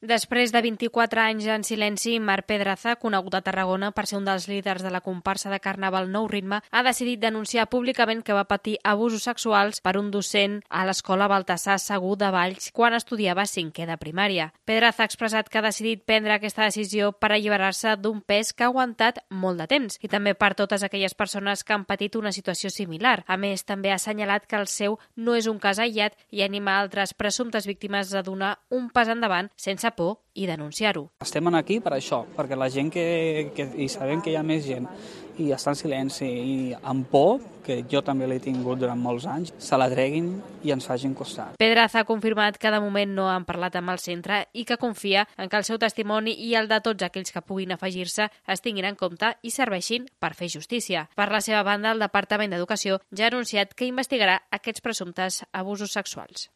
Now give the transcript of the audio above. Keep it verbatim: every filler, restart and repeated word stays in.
Després de vint-i-quatre anys en silenci, Marc Pedraza, conegut a Tarragona per ser un dels líders de la comparsa de Carnaval Nou Ritme, ha decidit denunciar públicament que va patir abusos sexuals per un docent a l'escola Baltasar Segur de Valls quan estudiava cinquè de primària. Pedraza ha expressat que ha decidit prendre aquesta decisió per alliberar-se d'un pes que ha aguantat molt de temps i també per totes aquelles persones que han patit una situació similar. A més, també ha assenyalat que el seu no és un cas aïllat i anima altres presumptes víctimes a donar un pas endavant sense por i denunciar-ho. Estem aquí per això, perquè la gent que, que i sabem que hi ha més gent i està en silenci i amb por, que jo també l'he tingut durant molts anys, se la treguin i ens facin costat. Pedraza ha confirmat que de moment no han parlat amb el centre i que confia en que el seu testimoni i el de tots aquells que puguin afegir-se es tinguin en compte i serveixin per fer justícia. Per la seva banda, el Departament d'Educació ja ha anunciat que investigarà aquests presumptes abusos sexuals.